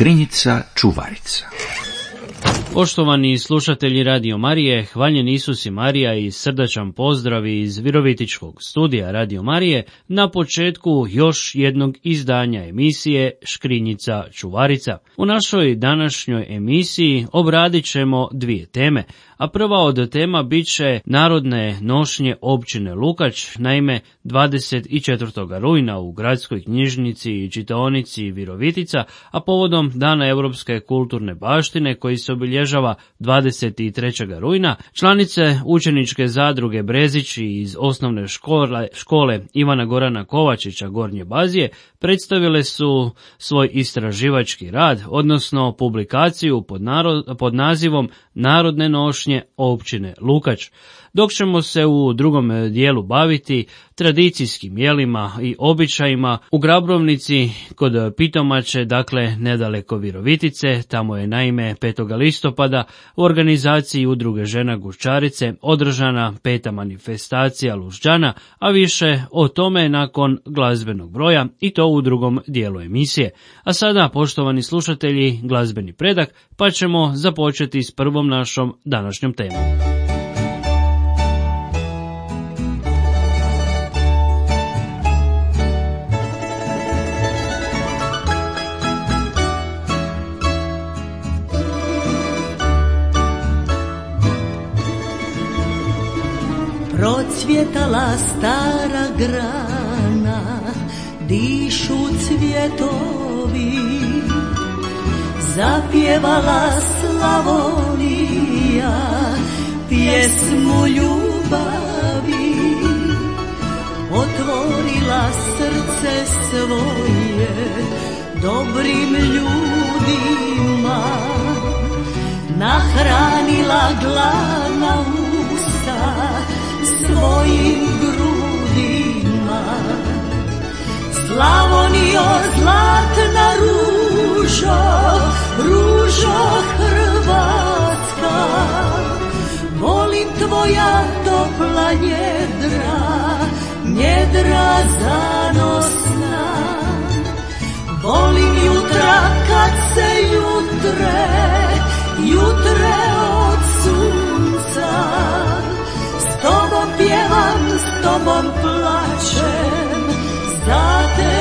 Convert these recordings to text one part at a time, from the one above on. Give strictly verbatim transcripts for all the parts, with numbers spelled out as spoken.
Škrinjica čuvarica. Poštovani slušatelji Radio Marije, hvaljen Isus i Marija i srdačan pozdrav iz Virovitičkog studija Radio Marije na početku još jednog izdanja emisije Škrinjica čuvarica. U našoj današnjoj emisiji obradit ćemo dvije teme, a prva od tema bit će narodne nošnje općine Lukač. Naime, dvadeset četvrtog rujna u gradskoj knjižnici i čitaonici Virovitica, a povodom Dana europske kulturne baštine koji se obilježava dvadeset trećeg rujna, članice učeničke zadruge Brezić iz osnovne škole, škole Ivana Gorana Kovačića Gornje Bazije predstavile su svoj istraživački rad, odnosno publikaciju pod, narod, pod nazivom Narodne nošnje općine Lukač, dok ćemo se u drugom dijelu baviti tradicijskim jelima i običajima u Grabrovnici kod Pitomače, dakle nedaleko Virovitice. Tamo je naime petog listopada u organizaciji Udruge žena Guščarice održana peta manifestacija Lužđana, a više o tome nakon glazbenog broja i to u drugom dijelu emisije. A sada, poštovani slušatelji, glazbeni predak, pa ćemo započeti s prvom našom današnjom temom. Procvjetala stara grana, dišu cvjetovi, zapjevala Slavonija pjesmu ljubavi, otvorila srce svoje dobrim ljudima, nahranila gladna usta svojim grudima. Slavonijo, zlatna ružo, ružo Hrvatska, volim tvoja topla njedra, njedra zanosna. Volim jutra kad se jutre, jutre od sunca, s tobom pjevam, s tobom plačem, za te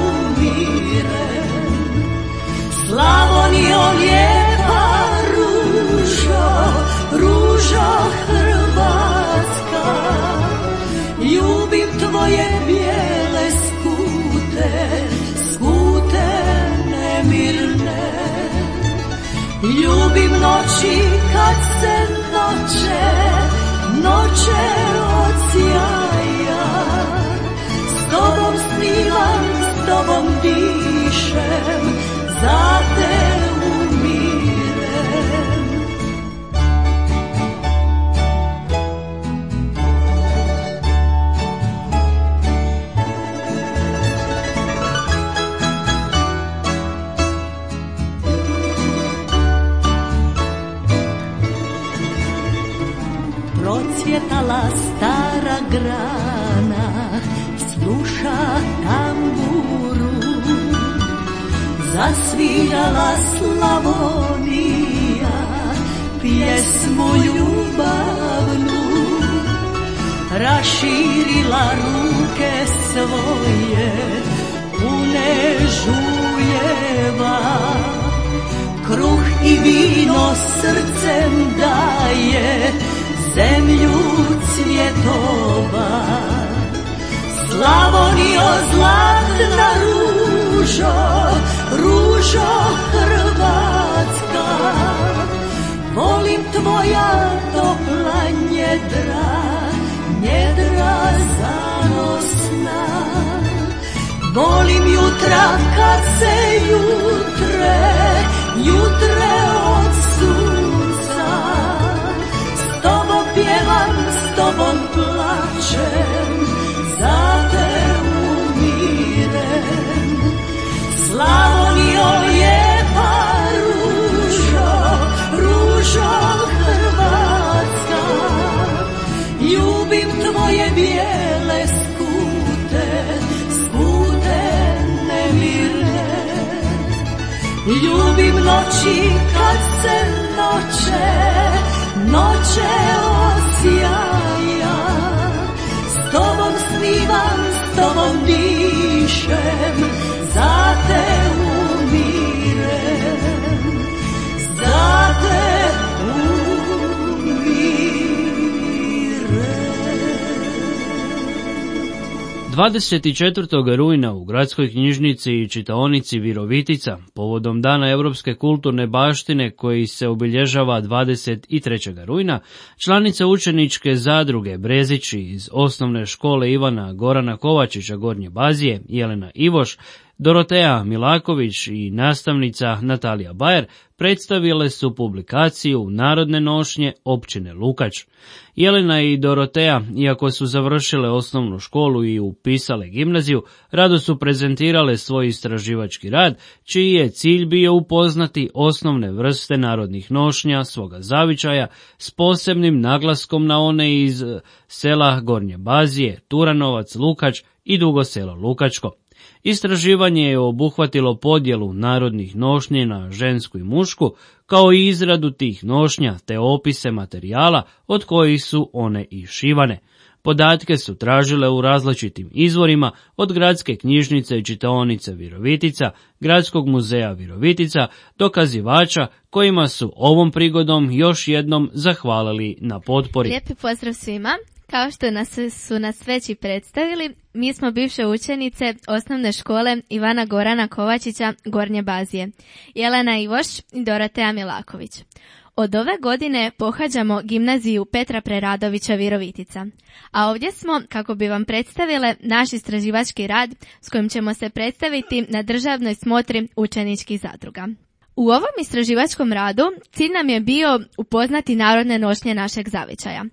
umirem. Slavonijo, lijepa ružo, ružo Hrvatska, ljubim tvoje bijele skute, skute nemirne. Ljubim noći kad se noće, noće od sjaja, s tobom snivam, s tobom dišem, za te umirem. Procvjetala stara grana, sluša tamburu, zasvirala Slavonija pjesmu ljubavnu, raširila ruke svoje pune žujeva, kruh i vino srcem daje, zemlju cvjetova. Slavonijo, zlatna ružo, ružo Hrvatska, volim tvoja topla njedra, njedra zanosna. Volim jutra kad se jutre, jutre od sunca, s tobom pjevam, s tobom plačem, za te umirem. Slavonijo, lijepa ružo, ružo Hrvatska, ljubim tvoje bijele skute, skute nemirne. Ljubim noći kad se noće, noće osjaja. S tobom snivam, s tobom dišem, za te umirem, za te umirem. dvadeset četvrtog rujna u gradskoj knjižnici i čitaonici Virovitica, povodom Dana europske kulturne baštine koji se obilježava dvadeset trećeg rujna, članice učeničke zadruge Brezići iz osnovne škole Ivana Gorana Kovačića Gornje Bazije, Jelena Ivoš, Doroteja Milaković i nastavnica Natalija Bajer predstavile su publikaciju Narodne nošnje općine Lukač. Jelena i Doroteja, iako su završile osnovnu školu i upisale gimnaziju, rado su prezentirale svoj istraživački rad, čiji je cilj bio upoznati osnovne vrste narodnih nošnja svoga zavičaja s posebnim naglaskom na one iz sela Gornje Bazije, Turanovac, Lukač i Dugo Selo Lukačko. Istraživanje je obuhvatilo podjelu narodnih nošnji na žensku i mušku, kao i izradu tih nošnja te opise materijala od kojih su one i šivane. Podatke su tražile u različitim izvorima od Gradske knjižnice i čitaonice Virovitica, Gradskog muzeja Virovitica, dokazivača kojima su ovom prigodom još jednom zahvalili na potpori. Lijepi pozdrav svima. Kao što nas su nas već i predstavili, mi smo bivše učenice osnovne škole Ivana Gorana Kovačića Gornje Bazije, Jelena Ivoš i Doroteja Milaković. Od ove godine pohađamo gimnaziju Petra Preradovića Virovitica, a ovdje smo kako bi vam predstavile naš istraživački rad s kojim ćemo se predstaviti na državnoj smotri učeničkih zadruga. U ovom istraživačkom radu cilj nam je bio upoznati narodne nošnje našeg zavičaja,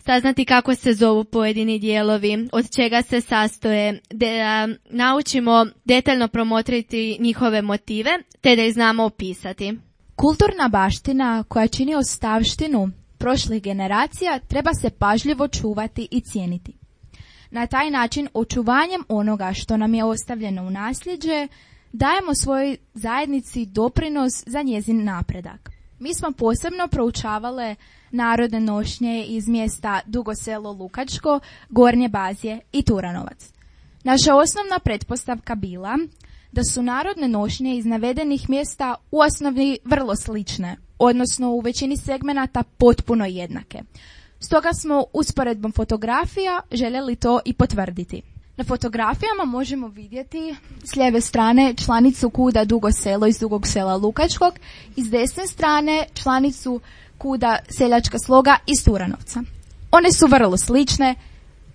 saznati kako se zovu pojedini dijelovi, od čega se sastoje, da naučimo detaljno promotriti njihove motive, te da ih znamo opisati. Kulturna baština koja čini ostavštinu prošlih generacija treba se pažljivo čuvati i cijeniti. Na taj način, očuvanjem onoga što nam je ostavljeno u nasljeđe, dajemo svojoj zajednici doprinos za njezin napredak. Mi smo posebno proučavale narodne nošnje iz mjesta Dugo Selo Lukačko, Gornje Bazije i Turanovac. Naša osnovna pretpostavka bila da su narodne nošnje iz navedenih mjesta u osnovi vrlo slične, odnosno u većini segmenata potpuno jednake. Stoga smo usporedbom fotografija željeli to i potvrditi. Na fotografijama možemo vidjeti s lijeve strane članicu kuda Dugo Selo iz Dugog Sela Lukačkog i s desne strane članicu kuda Seljačka sloga iz Turanovca. One su vrlo slične,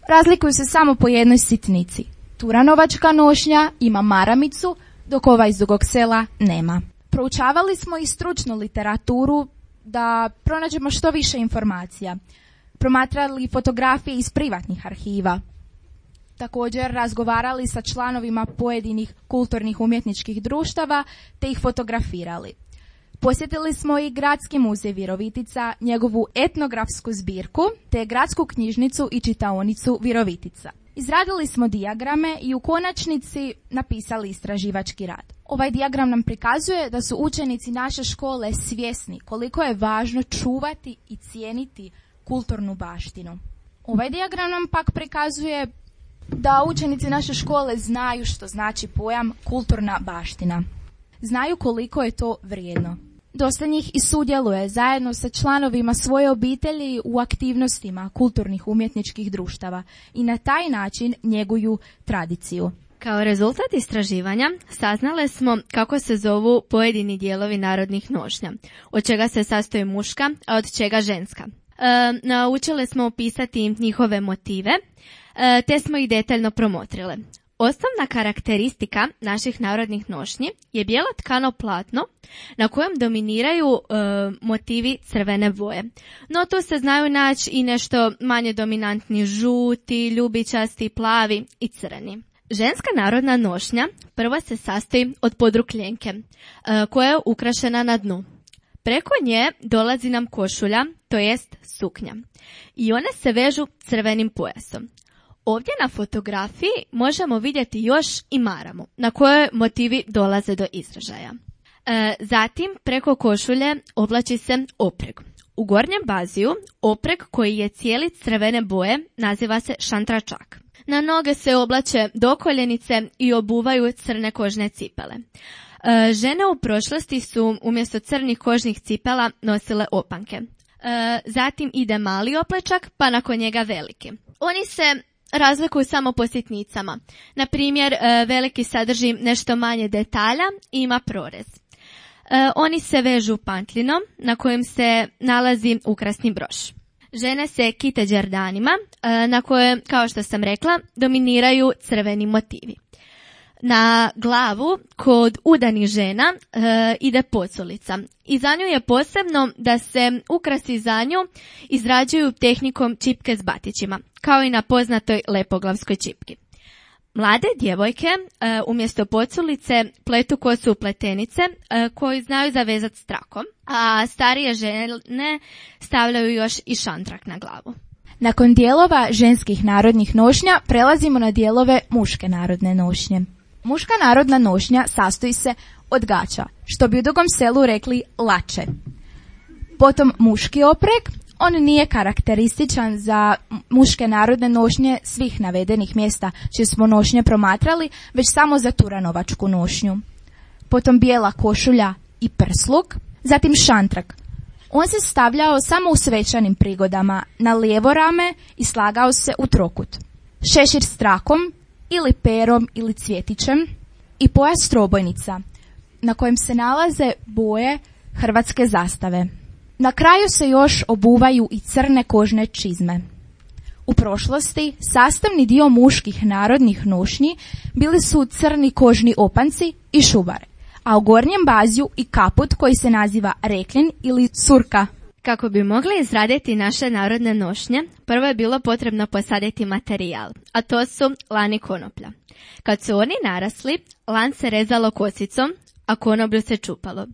razlikuju se samo po jednoj sitnici. Turanovačka nošnja ima maramicu, dok ova iz Dugog Sela nema. Proučavali smo i stručnu literaturu da pronađemo što više informacija. Promatrali fotografije iz privatnih arhiva. Također razgovarali sa članovima pojedinih kulturnih umjetničkih društava te ih fotografirali. Posjetili smo i Gradski muzej Virovitica, njegovu etnografsku zbirku te Gradsku knjižnicu i čitaonicu Virovitica. Izradili smo dijagrame i u konačnici napisali istraživački rad. Ovaj dijagram nam prikazuje da su učenici naše škole svjesni koliko je važno čuvati i cijeniti kulturnu baštinu. Ovaj dijagram nam pak prikazuje da učenici naše škole znaju što znači pojam kulturna baština. Znaju koliko je to vrijedno. Dosta njih i sudjeluje zajedno sa članovima svoje obitelji u aktivnostima kulturnih umjetničkih društava i na taj način njeguju tradiciju. Kao rezultat istraživanja saznale smo kako se zovu pojedini dijelovi narodnih nošnja, od čega se sastoji muška, a od čega ženska. E, naučile smo opisati njihove motive, e, te smo ih detaljno promotrile. Osnovna karakteristika naših narodnih nošnji je bijelo tkano platno na kojem dominiraju e, motivi crvene boje. No tu se znaju naći i nešto manje dominantni žuti, ljubičasti, plavi i crni. Ženska narodna nošnja prvo se sastoji od podrukljenke e, koja je ukrašena na dnu. Preko nje dolazi nam košulja, to jest suknja. I one se vežu crvenim pojasom. Ovdje na fotografiji možemo vidjeti još i maramu, na kojoj motivi dolaze do izražaja. E, zatim, preko košulje oblači se opreg. U gornjem baziju opreg koji je cijeli crvene boje naziva se šantračak. Na noge se oblače dokoljenice i obuvaju crne kožne cipele. E, žene u prošlosti su umjesto crnih kožnih cipela nosile opanke. E, zatim ide mali oplečak, pa nakon njega veliki. Oni se razlikuju samo po sitnicama. Na primjer, e, veliki sadrži nešto manje detalja i ima prorez. E, oni se vežu pantlinom na kojem se nalazi ukrasni broš. Žene se kite đerdanima e, na koje, kao što sam rekla, dominiraju crveni motivi. Na glavu kod udanih žena e, ide poculica i za nju je posebno da se ukrasi za nju izrađuju tehnikom čipke s batićima, kao i na poznatoj lepoglavskoj čipki. Mlade djevojke e, umjesto poculice pletu kosu u pletenice e, koju znaju zavezati s trakom, a starije žene stavljaju još i šantrak na glavu. Nakon dijelova ženskih narodnih nošnja prelazimo na dijelove muške narodne nošnje. Muška narodna nošnja sastoji se od gaća, što bi u Dugom Selu rekli lače. Potom muški opreg, on nije karakterističan za muške narodne nošnje svih navedenih mjesta čije smo nošnje promatrali, već samo za turanovačku nošnju. Potom bijela košulja i prsluk, zatim šantrak. On se stavljao samo u svečanim prigodama, na lijevo rame i slagao se u trokut. Šešir s trakom, ili perom ili cvjetićem i pojas trobojnica na kojem se nalaze boje hrvatske zastave. Na kraju se još obuvaju i crne kožne čizme. U prošlosti sastavni dio muških narodnih nošnji bili su crni kožni opanci i šubare, a u gornjem baziju i kaput koji se naziva reklin ili curka. Kako bi mogli izraditi naše narodne nošnje, prvo je bilo potrebno posaditi materijal, a to su lan i konoplja. Kad su oni narasli, lan se rezalo kosicom, a konoplju se čupalo.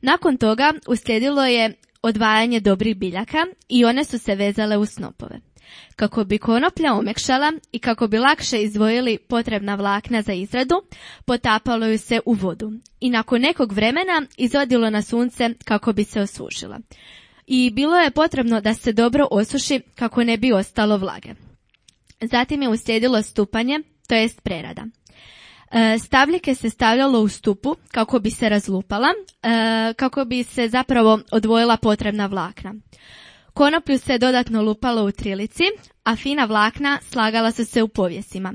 Nakon toga uslijedilo je odvajanje dobrih biljaka i one su se vezale u snopove. Kako bi konoplja omekšala i kako bi lakše izdvojili potrebna vlakna za izradu, potapalo ju se u vodu i nakon nekog vremena izvodilo na sunce kako bi se osušila. I bilo je potrebno da se dobro osuši kako ne bi ostalo vlage. Zatim je uslijedilo stupanje, to jest prerada. E, stavljike se stavljalo u stupu kako bi se razlupala, e, kako bi se zapravo odvojila potrebna vlakna. Konoplju se dodatno lupalo u trilici, a fina vlakna slagala su se u povjesima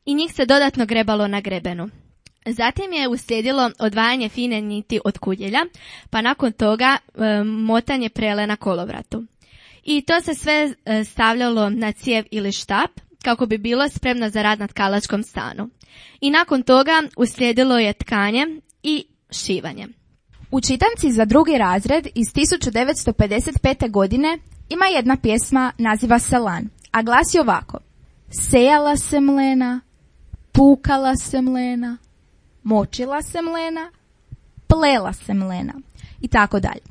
i njih se dodatno grebalo na grebenu. Zatim je uslijedilo odvajanje fine niti od kudjelja, pa nakon toga e, motanje prele na kolovratu. I to se sve e, stavljalo na cijev ili štap kako bi bilo spremno za rad na tkalačkom stanu. I nakon toga uslijedilo je tkanje i šivanje. U čitanci za drugi razred iz tisuću devetsto pedeset pete. godine ima jedna pjesma, naziva se Lan, a glasi ovako: sejala se mlena, pukala se mlena, močila se mlena, plela se mlena i tako dalje.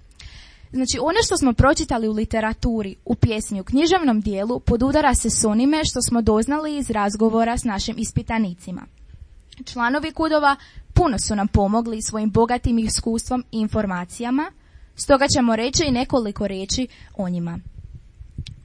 Znači, ono što smo pročitali u literaturi, u pjesmi, u književnom dijelu podudara se s onime što smo doznali iz razgovora s našim ispitanicima. Članovi Kudova puno su nam pomogli svojim bogatim iskustvom i informacijama, stoga ćemo reći i nekoliko riječi o njima.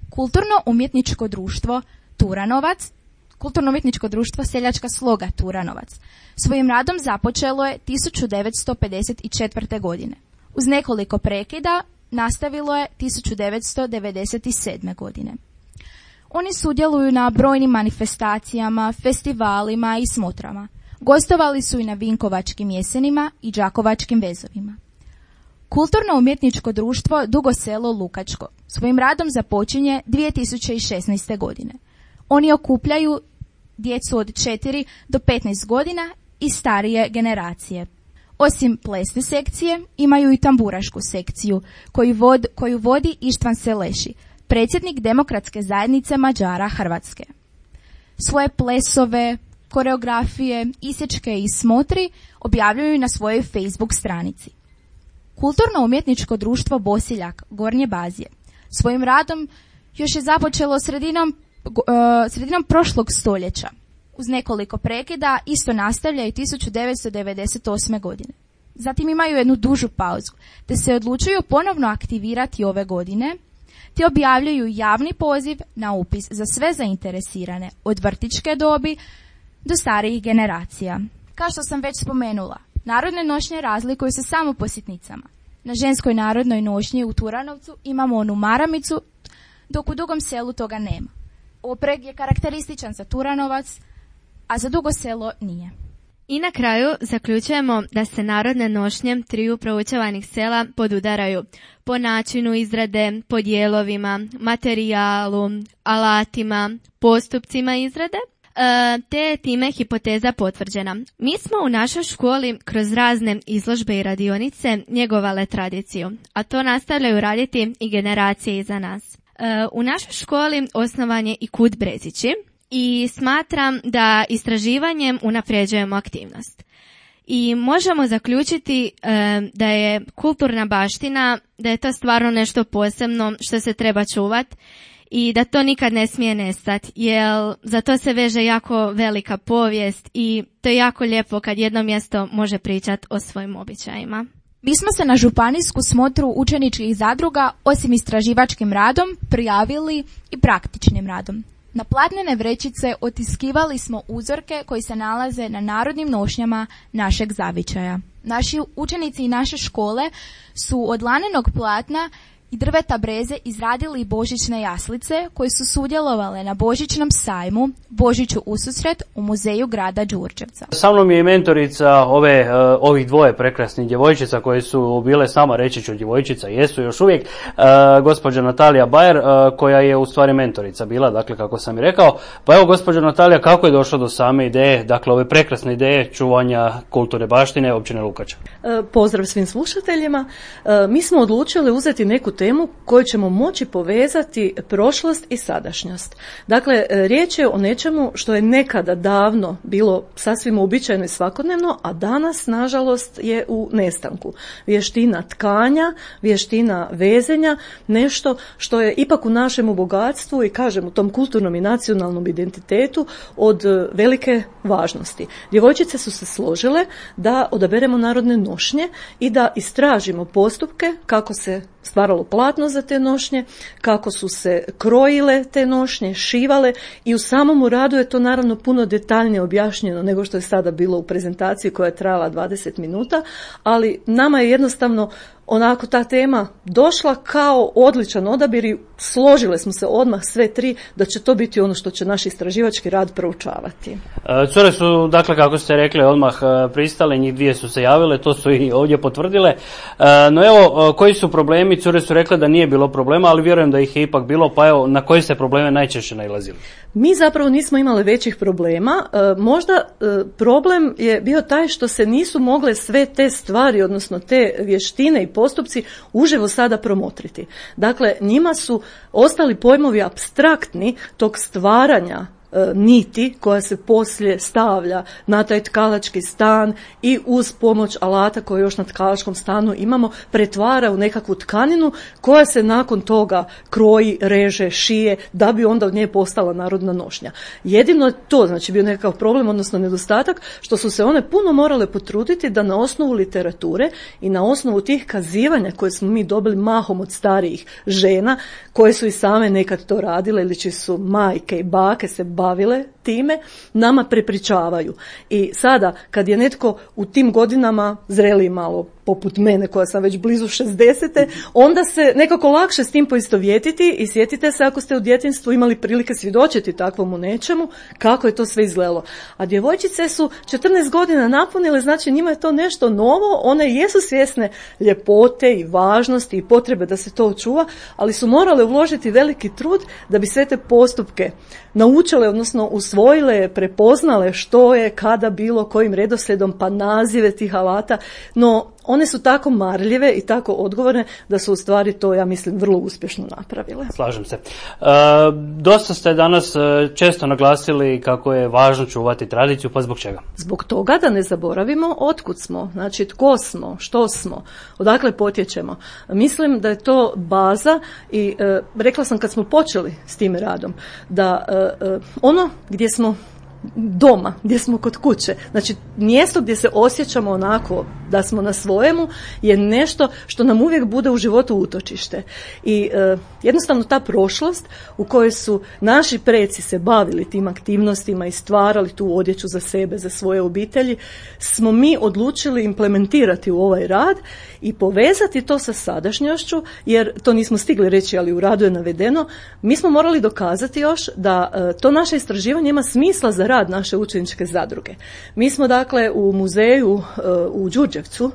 Kulturno-umjetničko društvo Turanovac, Kulturno-umjetničko društvo Seljačka sloga Turanovac, svojim radom započelo je tisuću devetsto pedeset četvrte. godine. Uz nekoliko prekida nastavilo je tisuću devetsto devedeset sedme. godine. Oni sudjeluju na brojnim manifestacijama, festivalima i smotrama. Gostovali su i na Vinkovačkim jesenima i Đakovačkim vezovima. Kulturno-umjetničko društvo Dugo Selo Lukačko svojim radom započinje dvije tisuće šesnaeste. godine. Oni okupljaju djecu od četiri do petnaest godina i starije generacije. Osim plesne sekcije, imaju i tamburašku sekciju koju, vod, koju vodi Ištvan Seleši, predsjednik Demokratske zajednice Mađara Hrvatske. Svoje plesove, koreografije, isječke i smotri objavljuju na svojoj Facebook stranici. Kulturno-umjetničko društvo Bosiljak Gornje Bazije svojim radom još je započelo sredinom, uh, sredinom prošlog stoljeća. Uz nekoliko prekida isto nastavlja i tisuću devetsto devedeset osme. godine. zatim imaju jednu dužu pauzu, te se odlučuju ponovno aktivirati ove godine, te objavljuju javni poziv na upis za sve zainteresirane, od vrtićke dobi do starijih generacija. Kao što sam već spomenula, narodne nošnje razlikuju se samo po sitnicama. Na ženskoj narodnoj nošnji u Turanovcu imamo onu maramicu, dok u Dugom Selu toga nema. Opreg je karakterističan za Turanovac, a za Dugo Selo nije. I na kraju zaključujemo da se narodne nošnje triju proučavanih sela podudaraju po načinu izrade, po dijelovima, materijalu, alatima, postupcima izrade, te je time hipoteza potvrđena. Mi smo u našoj školi kroz razne izložbe i radionice njegovale tradiciju, a to nastavljaju raditi i generacije iza nas. U našoj školi osnovan je i Kut Brezići i smatram da istraživanjem unapređujemo aktivnost. I možemo zaključiti da je kulturna baština, da je to stvarno nešto posebno što se treba čuvati i da to nikad ne smije nestati, jer za to se veže jako velika povijest i to je jako lijepo kad jedno mjesto može pričati o svojim običajima. Mi smo se na županijsku smotru učeničkih zadruga, osim istraživačkim radom, prijavili i praktičnim radom. Na platnene vrećice otiskivali smo uzorke koji se nalaze na narodnim nošnjama našeg zavičaja. Naši učenici i naše škole su od lanenog platna i drveta breze izradili božićne jaslice koje su sudjelovale na božićnom sajmu Božiću ususret u muzeju grada Đurđevca. Sa mnom je i mentorica ove, ovih dvoje prekrasnih djevojčica koje su bile s nama, reći ću djevojčica, jesu još uvijek, gospođa Natalija Bajer koja je u stvari mentorica bila, dakle kako sam i rekao. Pa evo gospođa Natalija, kako je došlo do same ideje, dakle ove prekrasne ideje čuvanja kulturne baštine općine Lukača? Pozdrav svim slušateljima. Mi smo odlučili uzeti neku temu koju ćemo moći povezati prošlost i sadašnjost. Dakle, riječ je o nečemu što je nekada davno bilo sasvim uobičajeno i svakodnevno, a danas, nažalost, je u nestanku. Vještina tkanja, vještina vezenja, nešto što je ipak u našemu bogatstvu i, kažem, u tom kulturnom i nacionalnom identitetu od velike važnosti. Djevojčice su se složile da odaberemo narodne nošnje i da istražimo postupke kako se stvaralo platno za te nošnje, kako su se krojile te nošnje, šivale i u samom radu je to naravno puno detaljnije objašnjeno nego što je sada bilo u prezentaciji koja je trajala dvadeset minuta, ali nama je jednostavno onako ta tema došla kao odličan odabir i složile smo se odmah sve tri da će to biti ono što će naš istraživački rad proučavati. Cure su, dakle, kako ste rekli, odmah pristale, njih dvije su se javile, to su i ovdje potvrdile. No evo, koji su problemi? Cure su rekle da nije bilo problema, ali vjerujem da ih je ipak bilo, pa evo, na koje ste probleme najčešće nailazili? Mi zapravo nismo imali većih problema. Možda problem je bio taj što se nisu mogle sve te stvari, odnosno te vještine i postupci uživo sada promotriti. Dakle, njima su ostali pojmovi apstraktni tog stvaranja niti koja se poslije stavlja na taj tkalački stan i uz pomoć alata koje još na tkalačkom stanu imamo pretvara u nekakvu tkaninu koja se nakon toga kroji, reže, šije da bi onda od nje postala narodna nošnja. Jedino je to, znači, bio nekakav problem, odnosno nedostatak, što su se one puno morale potruditi da na osnovu literature i na osnovu tih kazivanja koje smo mi dobili mahom od starijih žena koje su i same nekad to radile ili čiji su majke i bake se bavile time, nama prepričavaju. I sada, kad je netko u tim godinama zreliji malo, poput mene koja sam već blizu šezdesete, onda se nekako lakše s tim poistovjetiti i sjetite se ako ste u djetinjstvu imali prilike svjedočiti takvomu nečemu, kako je to sve izgledalo. A djevojčice su četrnaest godina napunile, znači njima je to nešto novo, one jesu svjesne ljepote i važnosti i potrebe da se to očuva, ali su morale uložiti veliki trud da bi sve te postupke naučile, odnosno usvojile, prepoznale što je, kada bilo, kojim redoslijedom, pa nazive tih alata, no one su tako marljive i tako odgovorne da su u stvari to, ja mislim, vrlo uspješno napravile. Slažem se. E, dosta ste danas često naglasili kako je važno čuvati tradiciju, pa zbog čega? Zbog toga da ne zaboravimo otkud smo, znači tko smo, što smo, odakle potječemo. Mislim da je to baza i e, rekla sam kad smo počeli s tim radom, da e, ono gdje smo doma, gdje smo kod kuće. Znači, mjesto gdje se osjećamo onako da smo na svojemu je nešto što nam uvijek bude u životu utočište. I e, jednostavno ta prošlost u kojoj su naši preci se bavili tim aktivnostima i stvarali tu odjeću za sebe, za svoje obitelji, smo mi odlučili implementirati u ovaj rad i povezati to sa sadašnjošću, jer to nismo stigli reći, ali u radu je navedeno, mi smo morali dokazati još da e, to naše istraživanje ima smisla za rad naše učeničke zadruge. Mi smo dakle u muzeju e, u Đurđevcu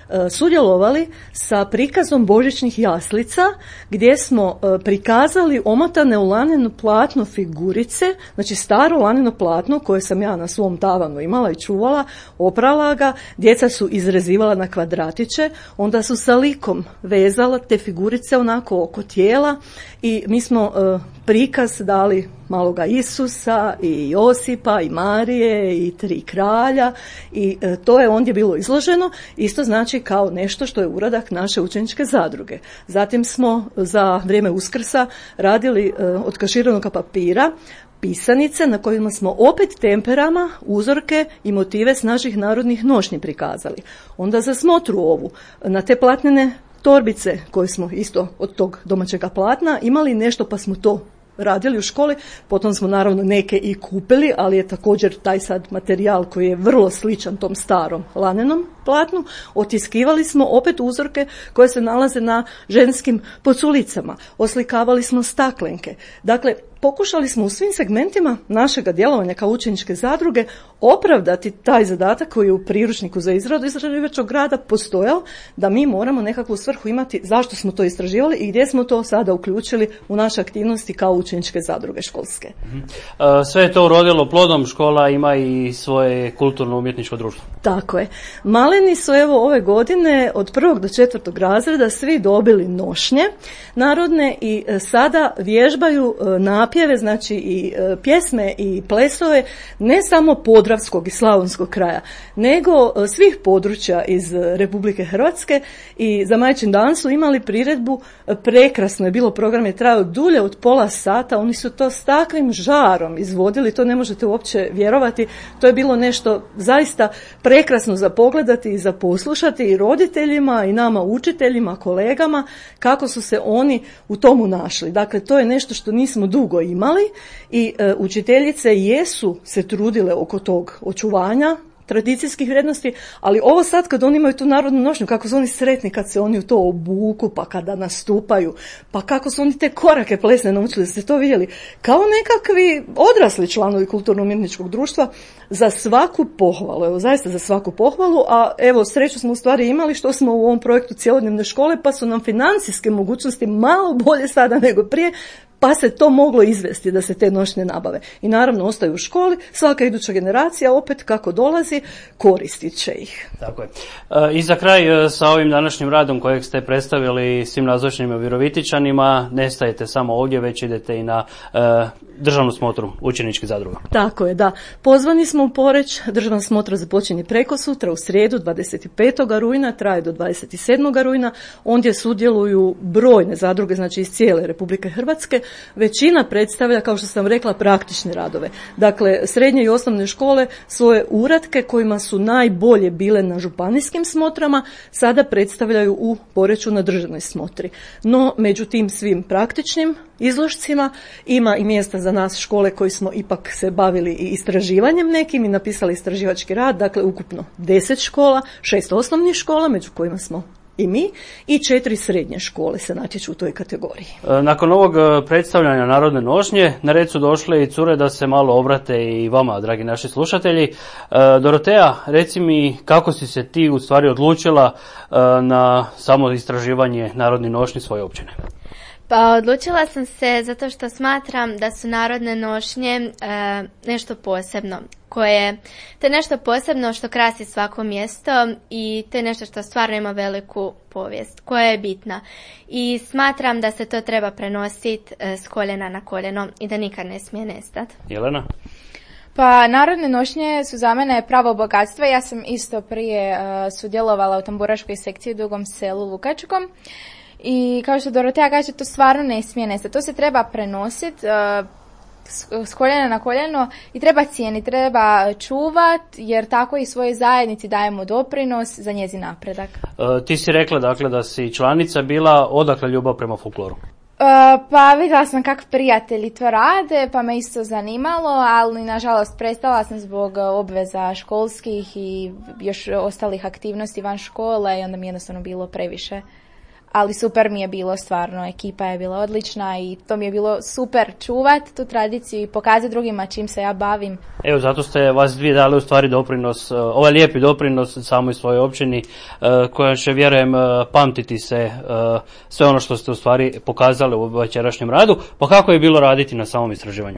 e, sudjelovali sa prikazom božićnih jaslica, gdje smo e, prikazali omotane u laneno platno figurice, znači staro laneno platno koje sam ja na svom tavanu imala i čuvala, oprala ga, djeca su izrezivala na kvadratiće, onda su sa likom vezala te figurice onako oko tijela i mi smo e, prikaz dali maloga Isusa i Josipa i Marije i tri kralja i e, to je ondje bilo izloženo, isto znači kao nešto što je uradak naše učeničke zadruge. Zatim smo za vrijeme Uskrsa radili e, od kaširanog papira pisanice na kojima smo opet temperama, uzorke i motive s naših narodnih nošnji prikazali. Onda za smotru ovu na te platnene torbice koje smo isto od tog domaćega platna imali nešto pa smo to radili u školi, potom smo naravno neke i kupili, ali je također taj sad materijal koji je vrlo sličan tom starom lanenom platnu, otiskivali smo opet uzorke koje se nalaze na ženskim poculicama, oslikavali smo staklenke. Dakle, pokušali smo u svim segmentima našega djelovanja kao učeničke zadruge opravdati taj zadatak koji je u priručniku za izradu istraživačkog rada postojao, da mi moramo nekakvu svrhu imati zašto smo to istraživali i gdje smo to sada uključili u naše aktivnosti kao učeničke zadruge školske. Sve je to urodilo plodom, škola ima i svoje kulturno-umjetničko društvo. Tako je. Maleni su evo ove godine od prvog do četvrtog razreda svi dobili nošnje narodne i sada vježbaju napjeve, znači i pjesme i plesove ne samo podravskog i slavonskog kraja, nego svih područja iz Republike Hrvatske i za Majčin dan su imali priredbu, prekrasno je bilo, program je trajao dulje od pola sata, oni su to s takvim žarom izvodili, to ne možete uopće vjerovati, to je bilo nešto zaista prekrasno za pogledati i za poslušati i roditeljima i nama učiteljima, kolegama, kako su se oni u tomu našli. Dakle, to je nešto što nismo dugo imali i e, učiteljice jesu se trudile oko tog očuvanja tradicijskih vrijednosti, ali ovo sad kad oni imaju tu narodnu nošnju, kako su oni sretni kad se oni u to obuku, pa kada nastupaju, pa kako su oni te korake plesne naučili, da ste to vidjeli, kao nekakvi odrasli članovi kulturno-umjetničkog društva, za svaku pohvalu, evo zaista za svaku pohvalu, a evo sreću smo u stvari imali što smo u ovom projektu cjelodnevne škole, pa su nam financijske mogućnosti malo bolje sada nego prije, pa se to moglo izvesti da se te nošnje nabave. I naravno ostaju u školi, svaka iduća generacija opet kako dolazi koristit će ih. Tako je. I za kraj sa ovim današnjim radom kojeg ste predstavili svim nazočnim Virovitičanima, ne stajete samo ovdje, već idete i na uh, državnu smotru učeničkih zadruga. Tako je, da. Pozvani smo u Poreč, državna smotra započinje preko sutra u srijedu dvadeset petog rujna, traje do dvadeset sedmog rujna, ondje sudjeluju brojne zadruge, znači iz cijele Republike Hrvatske. Većina predstavlja, kao što sam rekla, praktične radove. Dakle, srednje i osnovne škole svoje uratke kojima su najbolje bile na županijskim smotrama, sada predstavljaju u Poreču na državnoj smotri. No, među tim svim praktičnim izložcima ima i mjesta za nas škole koji smo ipak se bavili i istraživanjem nekim i napisali istraživački rad, dakle ukupno deset škola, šest osnovnih škola, među kojima smo i mi, i četiri srednje škole se natječu u toj kategoriji. Nakon ovog predstavljanja narodne nošnje, na red su došle i cure da se malo obrate i vama, dragi naši slušatelji. Dorotea, reci mi kako si se ti u stvari odlučila na samo istraživanje narodnih nošnji svoje općine? Pa odlučila sam se zato što smatram da su narodne nošnje e, nešto posebno, koje, to je nešto posebno što krasi svako mjesto i to je nešto što stvarno ima veliku povijest, koja je bitna. I smatram da se to treba prenositi e, s koljena na koljeno i da nikad ne smije nestati. Jelena? Pa narodne nošnje su za mene pravo bogatstvo. Ja sam isto prije uh, sudjelovala u tamburaškoj sekciji u Dugom Selu Lukačkom. I kao što Dorotea kaže, to stvarno ne smije nestati. To se treba prenositi. s koljena na koljeno i treba cijeniti, treba čuvat, jer tako i svojoj zajednici dajemo doprinos za njezin napredak. E, ti si rekla dakle da si članica bila, odakle ljubav prema folkloru? Uh, pa vidjela sam kako prijatelji to rade, pa me isto zanimalo, ali nažalost prestala sam zbog obveza školskih i još ostalih aktivnosti van škole i onda mi jednostavno bilo previše. Ali super mi je bilo stvarno, ekipa je bila odlična i to mi je bilo super čuvat tu tradiciju i pokazati drugima čim se ja bavim. Evo, zato ste vas dvije dali u stvari doprinos, ovaj lijepi doprinos samoj svojoj općini, koja će, vjerujem, pamtiti se sve ono što ste u stvari pokazali u večerašnjem radu. Pa kako je bilo raditi na samom istraživanju?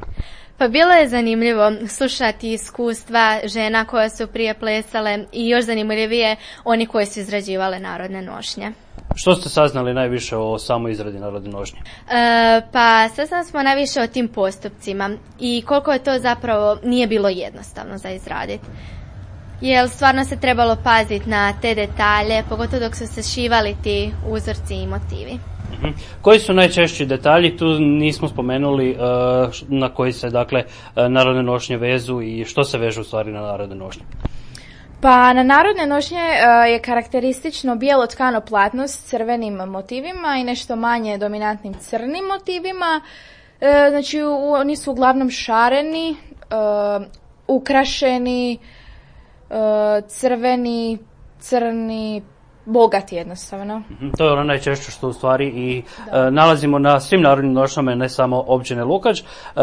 Pa bilo je zanimljivo slušati iskustva žena koje su prije plesale i još zanimljivije oni koji su izrađivale narodne nošnje. Što ste saznali najviše o samoj izradi narodne nošnje? E, pa saznali smo najviše o tim postupcima i koliko je to zapravo nije bilo jednostavno za izraditi. Jer stvarno se trebalo paziti na te detalje, pogotovo dok su se šivali ti uzorci i motivi. Uh-huh. Koji su najčešći detalji? Tu nismo spomenuli uh, na koji se dakle uh, narodne nošnje vezu i što se veže u stvari na narodne nošnje. Pa na narodne nošnje uh, je karakteristično bijelo tkano platno s crvenim motivima i nešto manje dominantnim crnim motivima. Uh, znači u, oni su uglavnom šareni, uh, ukrašeni, uh, crveni, crni, bogati jednostavno. Mm-hmm. To je ono najčešće što u stvari i uh, nalazimo na svim narodnim nošnjama, ne samo općine Lukač. Uh,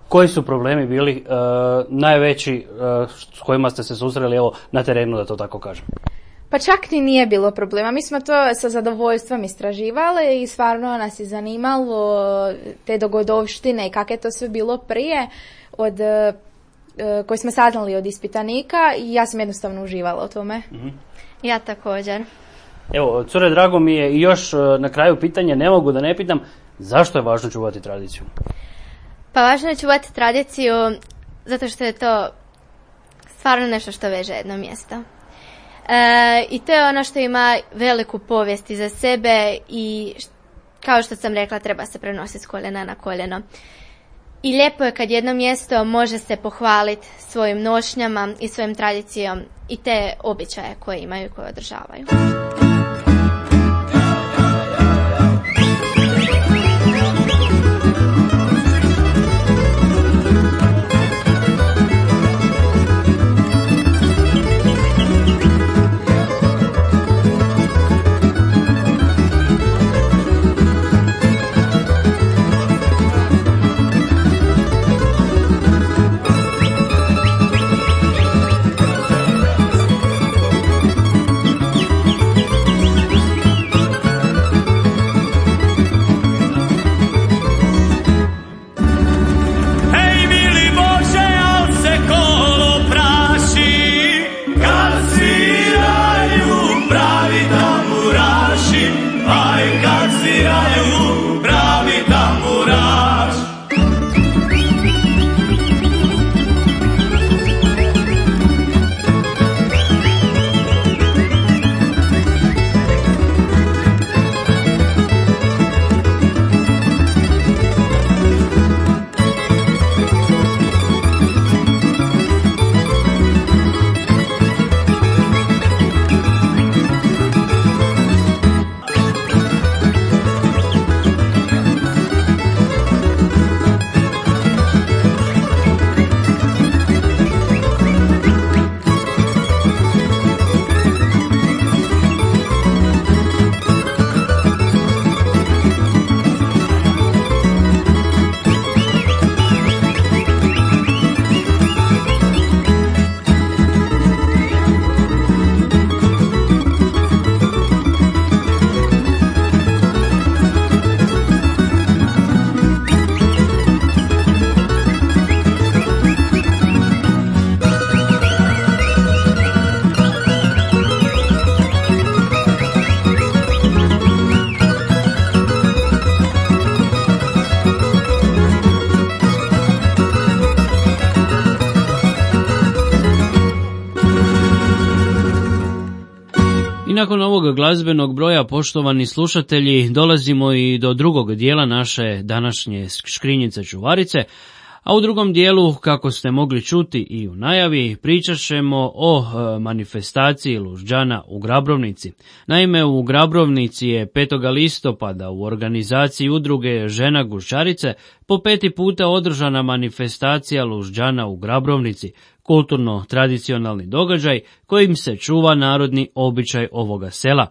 koji su problemi bili uh, najveći uh, s kojima ste se susreli evo na terenu, da to tako kažem? Pa čak ni nije bilo problema. Mi smo to sa zadovoljstvom istraživali i stvarno nas je zanimalo te dogodovštine i kako je to sve bilo prije od uh, koje smo saznali od ispitanika i ja sam jednostavno uživala u tome. Mm-hmm. Ja također. Evo, cure, drago mi je i još na kraju pitanje, ne mogu da ne pitam, zašto je važno čuvati tradiciju? Pa važno je čuvati tradiciju zato što je to stvarno nešto što veže jedno mjesto. E, I to je ono što ima veliku povijest iza sebe i kao što sam rekla treba se prenositi s koljena na koljeno. I lijepo je kad jedno mjesto može se pohvaliti svojim nošnjama i svojim tradicijom i te običaje koje imaju i koje održavaju. Nakon ovog glazbenog broja, poštovani slušatelji, dolazimo i do drugog dijela naše današnje škrinjice čuvarice, A u drugom dijelu, kako ste mogli čuti i u najavi, pričat ćemo o e, manifestaciji Lužđana u Grabrovnici. Naime, u Grabrovnici je petog listopada u organizaciji udruge Žena Guščarice po peti puta održana manifestacija Lužđana u Grabrovnici, kulturno-tradicionalni događaj kojim se čuva narodni običaj ovoga sela.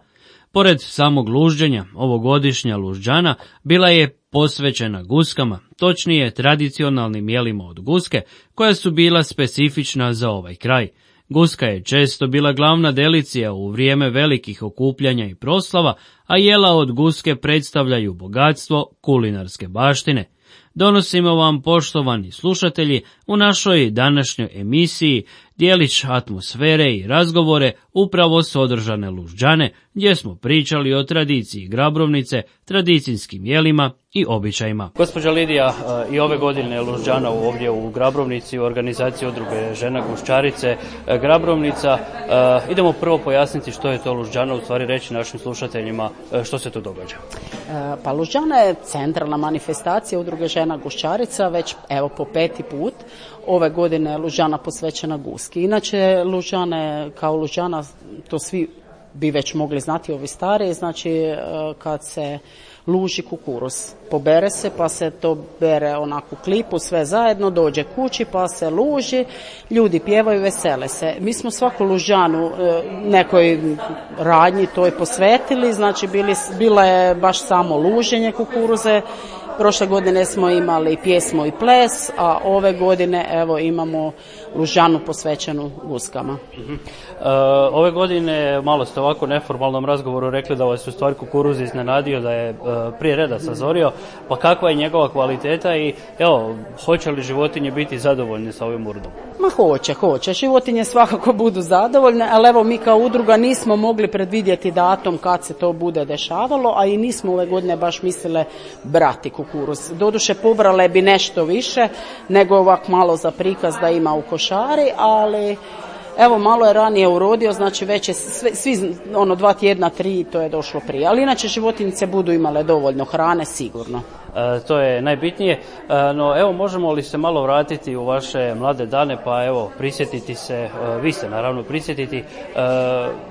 Pored samog lužđenja, ovogodišnja Lužđana bila je posvećena guskama, točnije tradicionalnim jelima od guske, koja su bila specifična za ovaj kraj. Guska je često bila glavna delicija u vrijeme velikih okupljanja i proslava, a jela od guske predstavljaju bogatstvo kulinarske baštine. Donosimo vam, poštovani slušatelji, u našoj današnjoj emisiji dijelić atmosfere i razgovore upravo s održane Lužđane, gdje smo pričali o tradiciji Grabrovnice, tradicijskim jelima i običajima. Gospođa Lidija, i ove godine je Lužđana ovdje u Grabrovnici u organizaciji udruge Žena Guščarice Grabrovnica. Idemo prvo pojasniti što je to Lužđana, u stvari reći našim slušateljima što se tu događa. Pa Lužđana je centralna manifestacija udruge Žena Guščarica, već evo po peti put. Ove godine je Lužđana posvećena guski. Inače, Lužđana je kao Lužđana, to svi bi već mogli znati, ovi stari, znači kad se luži kukuruz. Pobere se, pa se to bere onako klipu, sve zajedno, dođe kući, pa se luži, ljudi pjevaju, vesele se. Mi smo svaku Lužđanu nekoj radnji toj posvetili, znači bili, bila je baš samo luženje kukuruze. Prošle godine smo imali pjesmu i ples, a ove godine evo imamo Lužđanu posvećenu guskama. Uh-huh. E, ove godine malo ste ovako u neformalnom razgovoru rekli da vas u stvari kukuruz iznenadio, da je e, prije reda sazorio, pa kakva je njegova kvaliteta i evo, hoće li životinje biti zadovoljne sa ovim urdom? Ma hoće, hoće. Životinje svakako budu zadovoljne, ali evo mi kao udruga nismo mogli predvidjeti datum kad se to bude dešavalo, a i nismo ove godine baš mislile brati kukuruz. Doduše pobrale bi nešto više nego ovak malo za prikaz da ima u košari, ali evo malo je ranije urodio, znači već je sve, svi ono dva tjedna, tri, to je došlo prije. Ali inače životinjice budu imale dovoljno hrane, sigurno. E, to je najbitnije, e, no evo možemo li se malo vratiti u vaše mlade dane, pa evo prisjetiti se, e, vi ste naravno prisjetiti e,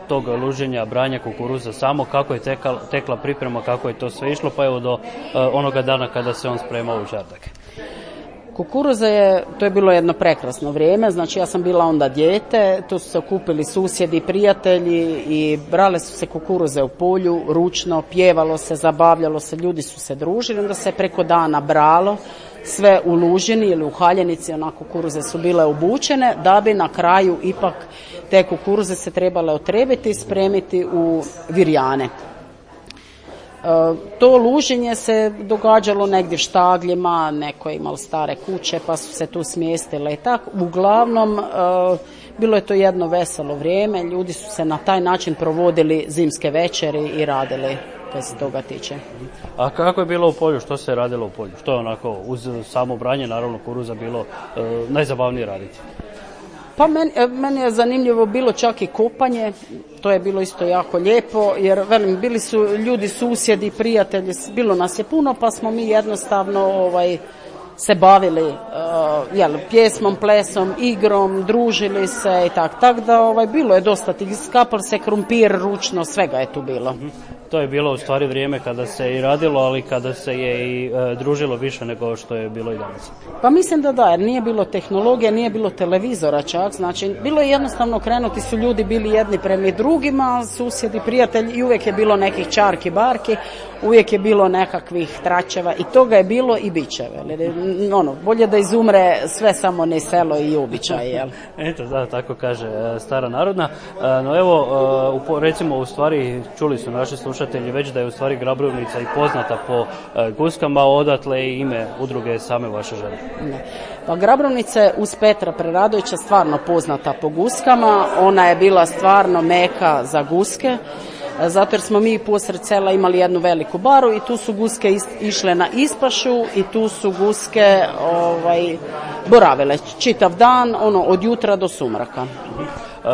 tog luženja, branja kukuruza samo, kako je tekla, tekla priprema, kako je to sve išlo, pa evo do e, onoga dana kada se on spremao u žardak. Kukuruza je, to je bilo jedno prekrasno vrijeme, znači ja sam bila onda dijete, tu su se okupili susjedi, prijatelji i brale su se kukuruze u polju, ručno, pjevalo se, zabavljalo se, ljudi su se družili, onda se preko dana bralo, sve u lužini ili u haljenici, onako kukuruze su bile obučene, da bi na kraju ipak te kukuruze se trebale otrebiti i spremiti u virjane. To luženje se događalo negdje u štagljima, neko je imao stare kuće pa su se tu smjestile i tako. Uglavnom, bilo je to jedno veselo vrijeme, ljudi su se na taj način provodili zimske večeri i radili kad se toga tiče. A kako je bilo u polju, što se radilo u polju? Što je onako uz samo branje, naravno kukuruza, bilo e, najzabavnije raditi? Pa meni, meni je zanimljivo bilo čak i kopanje, to je bilo isto jako lijepo, jer velim, bili su ljudi, susjedi, prijatelji, bilo nas je puno, pa smo mi jednostavno ovaj, se bavili uh, jel, pjesmom, plesom, igrom, družili se i tako. Tako da ovaj, bilo je dosta tih, skapal se krumpir ručno, svega je tu bilo. Mm-hmm. To je bilo u stvari vrijeme kada se i radilo, ali kada se je i e, družilo više nego što je bilo i danas. Pa mislim da da, jer nije bilo tehnologije, nije bilo televizora čak, znači bilo je jednostavno krenuti, su ljudi bili jedni prema drugima, susjedi, prijatelji i uvijek je bilo nekih čarki, barki, uvijek je bilo nekakvih tračeva i toga je bilo i bit će. Ono, bolje da izumre sve samo ne selo i običaj, jel? Eto, da, tako kaže stara narodna. No evo, recimo, u stvari, čuli su naši slušatelji već da je u stvari Grabrovnica i poznata po guskama, odatle i ime udruge same vaše žene. Ne. Pa Grabrovnica je uz Petra Preradovića stvarno poznata po guskama, ona je bila stvarno meka za guske, zato jer smo mi posred sela imali jednu veliku baru i tu su guske is, išle na ispašu i tu su guske ovaj, boravile čitav dan, ono, od jutra do sumraka.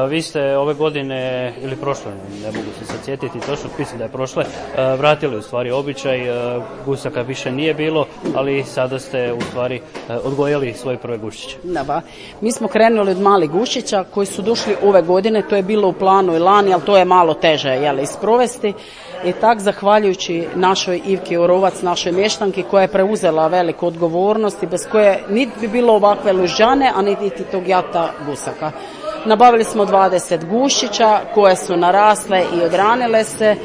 Vi ste ove godine, ili prošle, ne mogu se sad sjetiti točno, mislim da je prošle, vratili u stvari običaj, gusaka više nije bilo, ali sada ste u stvari odgojili svoje prve guščiće. Da, ba. Mi smo krenuli od malih guščića koji su došli ove godine, to je bilo u planu i lani, ali to je malo teže jel, isprovesti. I tak, zahvaljujući našoj Ivki Orovac, našoj mještanki koja je preuzela veliku odgovornost i bez koje niti bi bilo ovakve lužđane, a niti tog jata gusaka. Nabavili smo dvadeset gušića koje su narasle i odranile se,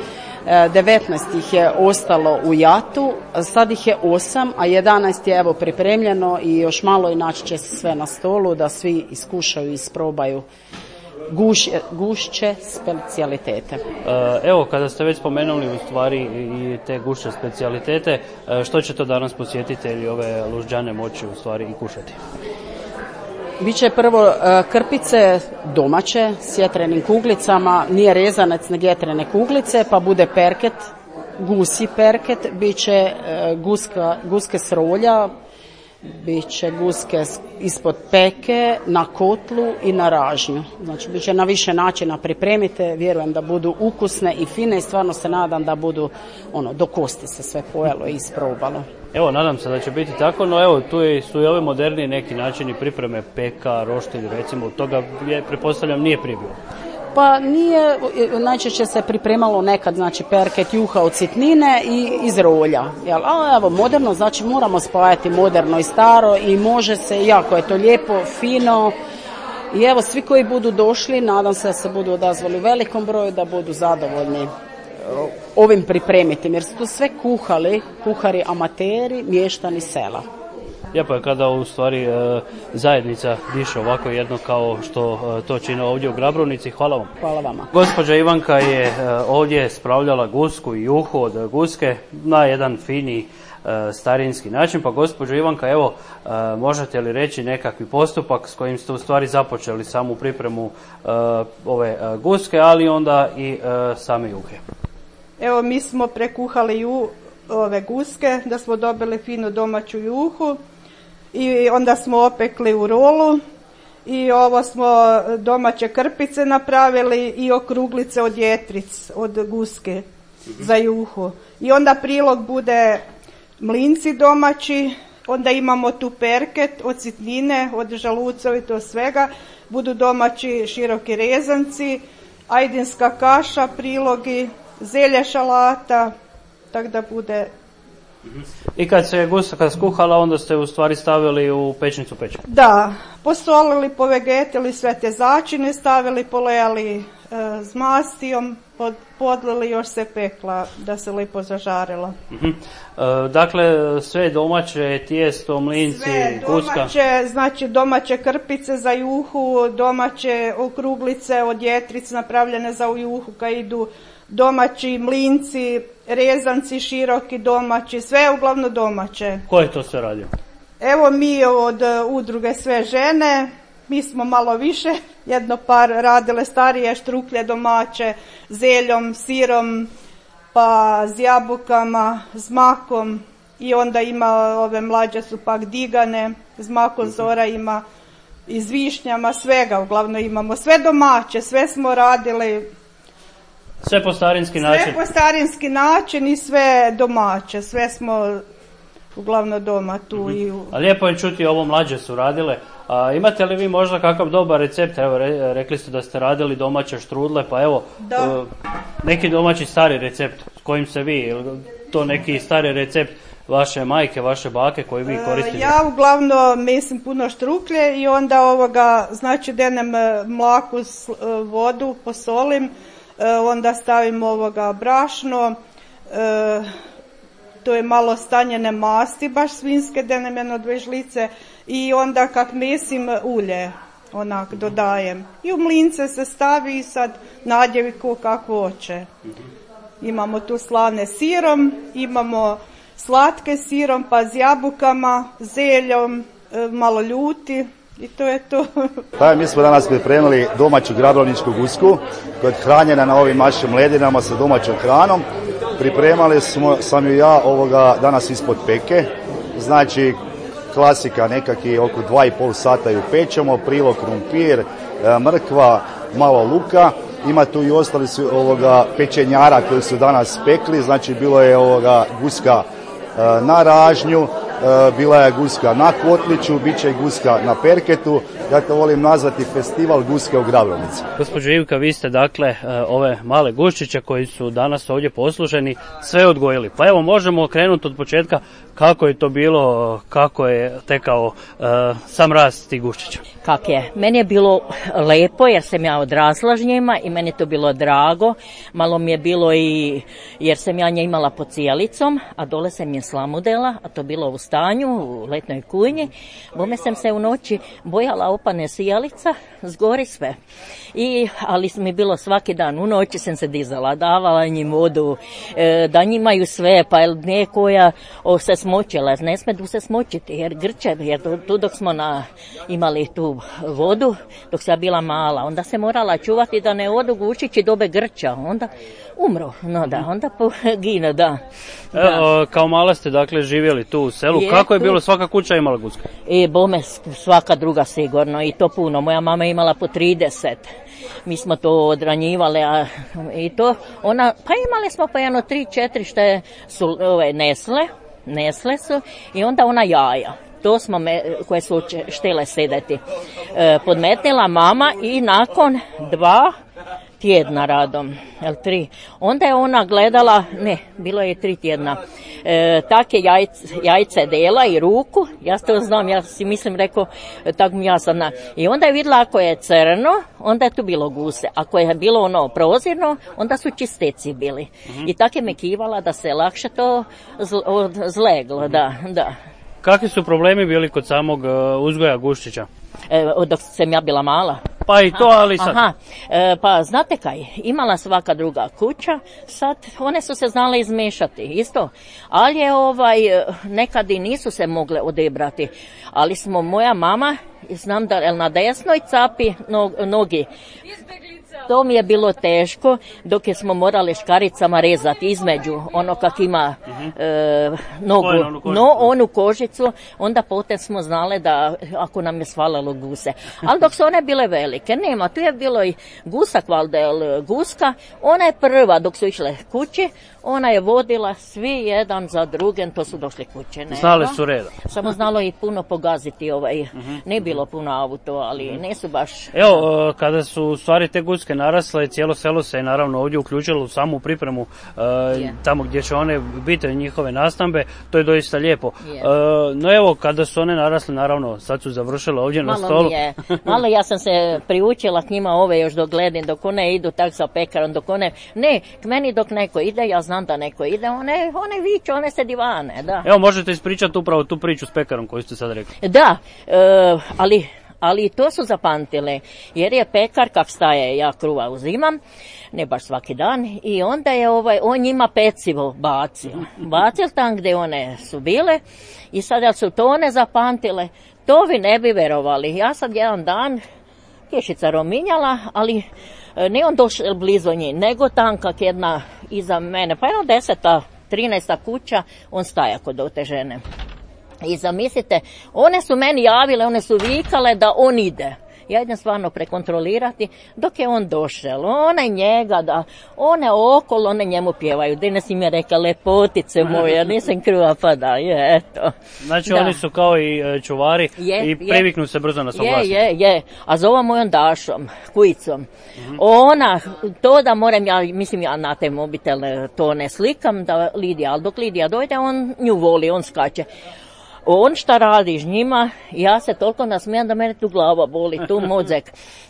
devetnaest ih je ostalo u jatu, sad ih je osam, a jedanaest je evo pripremljeno i još malo i naći će se sve na stolu da svi iskušaju i isprobaju Guš, gušće specijalitete. Evo, kada ste već spomenuli u stvari i te gušće specijalitete, što će to danas posjetitelji ove lužđane moći u stvari i kušati? Biće prvo krpice domaće s jetrenim kuglicama, nije rezanec nego jetrene kuglice, pa bude perket, gusi perket, biće guska, guske s rolja, bit će guske ispod peke, na kotlu i na ražnju. Znači, bit će na više načina pripremite, vjerujem da budu ukusne i fine i stvarno se nadam da budu, ono, do kosti se sve pojelo i isprobalo. Evo, nadam se da će biti tako, no evo, tu je, su i ove moderni neki načini pripreme peka, roštilj, recimo, toga je, pretpostavljam, nije prije bilo. Pa nije, najčešće se pripremalo nekad, znači perket juha od sitnine i iz rolja. Jel? A evo, moderno, znači moramo spajati moderno i staro i može se, jako je to lijepo, fino. I evo, svi koji budu došli, nadam se da se budu odazvali u velikom broju, da budu zadovoljni ovim pripremiti, jer su to sve kuhali, kuhari amateri, mještani sela. Lijepo je kada u stvari zajednica diše ovako jedno kao što to čine ovdje u Grabrovnici. Hvala vam. Hvala vama. Gospođa Ivanka je ovdje spravljala gusku i juhu od guske na jedan fini starinski način. Pa gospođo Ivanka, evo, možete li reći nekakvi postupak s kojim ste u stvari započeli samu pripremu ove guske, ali onda i same juhe? Evo, mi smo prekuhali ju, ove guske da smo dobili finu domaću juhu i onda smo opekli u rolu i ovo smo domaće krpice napravili i okruglice od jetric, od guske za juhu. I onda prilog bude mlinci domaći, onda imamo tu perket od sitnine, od žaluca i to svega, budu domaći široki rezanci, ajdinska kaša, prilogi, zelje šalata, tako da bude. I kad se guska skuhala, onda ste u stvari stavili u pečnicu pečen? Da, posolili, povegetili sve te začine, stavili, polejali e, s mastijom, pod, podlili, još se pekla da se lijepo zažarila. Uh-huh. E, dakle, sve domaće, tijesto, mlinci, sve guska? Sve domaće, znači domaće krpice za juhu, domaće okruglice od jetric napravljene za juhu kad idu, domaći mlinci, rezanci široki domaći, sve je uglavnom domaće. Ko je to sve radio? Evo mi od udruge Sve žene, mi smo malo više, jedno par radile starije štruklje domaće, zeljom, sirom, pa s jabukama, s makom i onda ima ove mlađe su pak digane, s makom Zora ima i s višnjama, svega uglavnom imamo, sve domaće, sve smo radili. Sve po starinski način? Sve po starinski način i sve domaće, sve smo uglavnom doma tu. Mm-hmm. I u... A lijepo je čuti, ovo mlađe su radile. A imate li vi možda kakav dobar recept? Evo, re, rekli ste da ste radili domaće štrudle, pa evo, uh, neki domaći stari recept s kojim se vi, to neki stari recept vaše majke, vaše bake koji vi koristite? Ja uglavnom mislim puno štruklje i onda ovoga, znači denem mlaku s vodu, posolim, onda stavim ovoga brašno, e, to je malo stanjene masti, baš svinjske, denem jedno dve žlice i onda kak mesim ulje, onak dodajem. I u mlince se stavi i sad nadjevi ko kako hoće. Imamo tu slane sirom, imamo slatke sirom, pa s jabukama, zeljom, e, malo ljuti. I to je to. Pa, mi smo danas pripremili domaću grabrovničku gusku koja je hranjena na ovim našim ledinama sa domaćom hranom. Pripremali smo, sam ju ja ovoga danas ispod peke. Znači, klasika, nekakvi oko dva i pol sata ju pečemo, prilog krumpir, mrkva, malo luka. Ima tu i ostali su ovoga pečenjara koji su danas pekli, znači bilo je ovoga guska e, na ražnju, e, bila je guska na kotliću, bit će i guska na perketu. Ja to volim nazvati festival guske u Grabrovnici. Gospođo Ivka, vi ste dakle ove male guščiće koji su danas ovdje posluženi sve odgojili. Pa evo možemo krenuti od početka kako je to bilo, kako je tekao uh, sam rast tih guščića. Kak je? Meni je bilo lepo jer sam ja odrasla s njima i meni je to bilo drago. Malo mi je bilo i jer sam ja nje imala pod cijelicom, a dole sam je slamudela, a to bilo u stanju, u letnoj kujnji. Bome sam se u noći bojala opane sijalica, zgori sve. I, ali mi bilo svaki dan, u noći sam se dizala, davala njim vodu, e, da njimaju sve, pa je nekoja o, se smočila, ne smedu se smočiti jer grče, jer tu, tu dok smo na, imali tu vodu, dok sam bila mala, onda se morala čuvati da ne odu gušići dobe grča, onda umro, no da, onda pogine, da. da. E, kao mala ste dakle živjeli tu u selu, je, kako je bilo, svaka kuća imala gusku? I bome svaka druga sigurno i to puno, moja mama je imala po trideset. Mi smo to odranjivali, a i to, ona, pa imali smo pa jedno tri, četiri što su ove, nesle, nesle su i onda ona jaja. To smo me, koje su štele sedeti. E, podmetnila mama i nakon dva tjedna radom, jel tri, onda je ona gledala, ne, bilo je tri tjedna, e, take jajce, jajce dela i ruku, ja to znam, ja si mislim rekao, tako mi ja sam na, i onda je vidjela ako je crno, onda je tu bilo guse, ako je bilo ono prozirno, onda su čisteci bili. Mm-hmm. I tako je me kivala da se lakše to zl, zleglo, da, da. Kakvi su problemi bili kod samog uh, uzgoja guščića? E, dok sam ja bila mala. Pa i to, ali sad. Aha, e, pa znate kaj, imala svaka druga kuća, sad one su se znale izmešati, isto. Ali je ovaj, nekad i nisu se mogle odebrati. Ali smo, moja mama, znam da na desnoj capi nog, nogi. To mi je bilo teško dok je smo morali škaricama rezati između ono kak ima uh-huh. e, nogu, onu no onu kožicu, onda potem smo znali da ako nam je svalalo guse. Ali dok su one bile velike, nema, tu je bilo i gusa kvaldel, guska, ona je prva dok su išle kući, ona je vodila svi jedan za drugim, to su došli kuće. Ne? Znali su reda. Samo znalo i puno pogaziti, ovaj, uh-huh. ne bilo puno auto, ali uh-huh. ne su baš... Evo, kada su u stvari te guske narasle, cijelo selo se je naravno ovdje uključilo u samu pripremu uh, yeah. tamo gdje će one biti njihove nastambe, to je doista lijepo. Yeah. Uh, no evo, kada su one narasle, naravno, sad su završile ovdje malo na stolu. Je. Malo ja sam se priučila k njima ove još dok gledam, dok one idu tak sa pekarom, dok one, ne, k meni dok neko ide, ja znam da neko ide, one, one viču, one se divane, da. Evo, možete ispričati upravo tu priču s pekarom koju ste sad rekli. Da, uh, ali... Ali to su zapamtile, jer je pekar kak staje, ja kruva uzimam, ne baš svaki dan, i onda je ovaj, on njima pecivo bacio. Bacil tam gdje one su bile i sad jel su to one zapamtile, to vi ne bi verovali. Ja sad jedan dan, kješica rominjala, ali ne on došel blizu njih, nego tam kak jedna iza mene, pa jedno deseta, trinaesta kuća, on staja kod te žene. I zamislite, one su meni javile, one su vikale da on ide. Ja idem stvarno prekontrolirati dok je on došel. One njega, da, one okolo, one njemu pjevaju. Danas im je rekla, lepotice moje, nisam kriva, pa da, je, eto. Znači da. Oni su kao i čuvari je, i priviknu je. se brzo na svog vlasnika. Je, je, je. A zova mojom Dašom, kujicom. Mm-hmm. Ona, to da moram, ja mislim ja na te mobitel to ne slikam, da Lidija, ali dok Lidija dojde, on nju voli, on skače. On šta radi s njima, ja se toliko nasmijem da mene tu glava boli, tu mozak.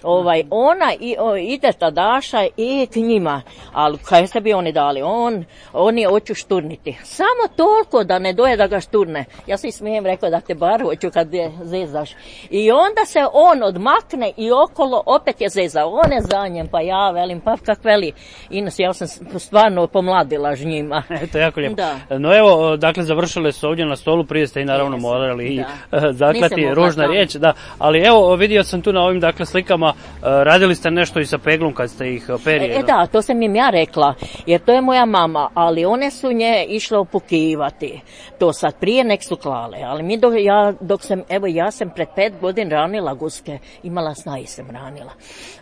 Ovaj, ona i, o, ide ta Daša i k njima, ali kaj se bi oni dali, on, oni hoću šturniti. Samo toliko da ne doje da ga šturne. Ja si smijem rekao da te bar hoću kad je zezaš. I onda se on odmakne i okolo opet je zezao. On je za njem, pa ja velim, pa kak veli. Inos, ja sam stvarno pomladila s njima. Eto, jako lijepo. Da. No evo, dakle, završile su ovdje na stolu, prije ste i naravno naravno Jesam, morali i da. zaklati, Nisam mogla ružna tamo. riječ, da. Ali evo, vidio sam tu na ovim dakle slikama, e, radili ste nešto i sa peglom kad ste ih perije. E da, to sam im ja rekla, jer to je moja mama, ali one su nje išle opukivati. To sad prije nek su klale, ali mi dok, ja, dok sam, evo ja sam pred pet godin ranila guske, imala snaji sam ranila.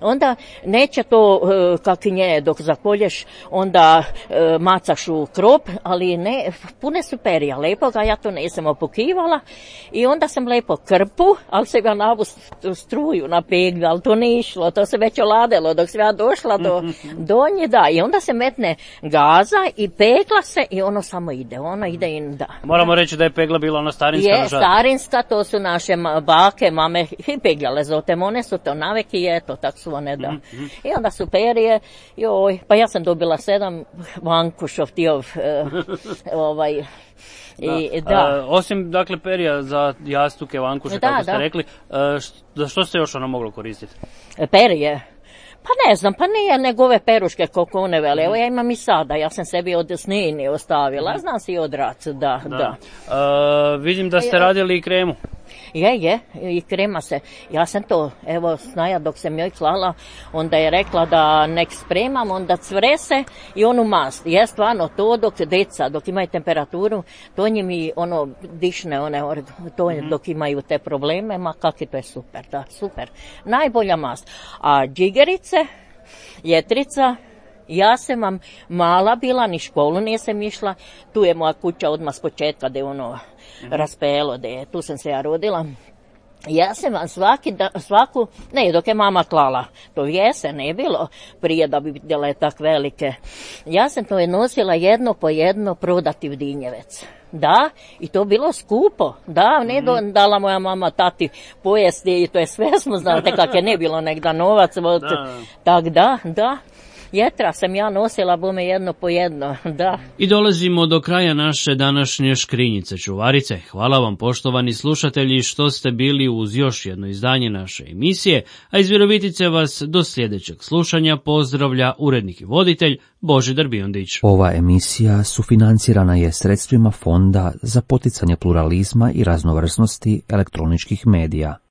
Onda neće to e, kak nje, dok zakolješ, onda e, macaš u krop, ali ne, pune su perija, lepo ga, ja to nisam opukivala i onda sam lepo krpu, ali se ja navu struju na peglu, ali to ne išlo, to se već oladilo, dok sam ja došla do, do nje, da, i onda se metne gaza i pegla se i ono samo ide, ono ide i da. Moramo reći da je pegla bila ona starinska. Je, nažal. starinska, to su naše bake, mame i peglale zote, one su to naveki i eto, tak su one da. Mm-hmm. I onda su perije, joj, pa ja sam dobila sedam vankušov tijov, eh, ovaj, i, da. da. E, osim dakle perija za jastuke, vankuše, Da, kako ste da. rekli, e, št- za što se još ono moglo koristiti? Perije. Pa ne znam, pa nije nego ove peruške koliko one vele. Evo ja imam i sada, ja sam sebi od snini ostavila, znam si i od raca, da, da. Da. E, vidim da ste radili i kremu. Je, je, i krema se. Ja sam to, evo, snaja dok sam joj klala, onda je rekla da nek spremam, onda cvre se i onu mast. Je stvarno to dok deca, dok imaju temperaturu, to njim i ono dišne, one, to mm-hmm. dok imaju te probleme, ma kaki to je super, da, super. Najbolja mast. A džigerice, jetrica, ja sam vam mala bila, ni školu nisam išla, tu je moja kuća odmah s početka, da je ono mm-hmm. raspelo, da je, tu sam se ja rodila. Ja sam vam svaki da, svaku, ne, dok je mama klala, to jesen ne bilo prije da bi vidjela tak velike. Ja sam to je nosila jedno po jedno prodati u Dinjevec. Da, i to bilo skupo, da, ne do, dala moja mama tati pojesti i to je sve smo znate kak je ne bilo negda novac, da. Tak da, da. Jetra sam ja nosila bome jedno po jedno, da. I dolazimo do kraja naše današnje škrinjice čuvarice. Hvala vam poštovani slušatelji što ste bili uz još jedno izdanje naše emisije, a iz Virovitice vas do sljedećeg slušanja pozdravlja urednik i voditelj Božidar Biondić. Ova emisija sufinancirana je sredstvima Fonda za poticanje pluralizma i raznovrsnosti elektroničkih medija.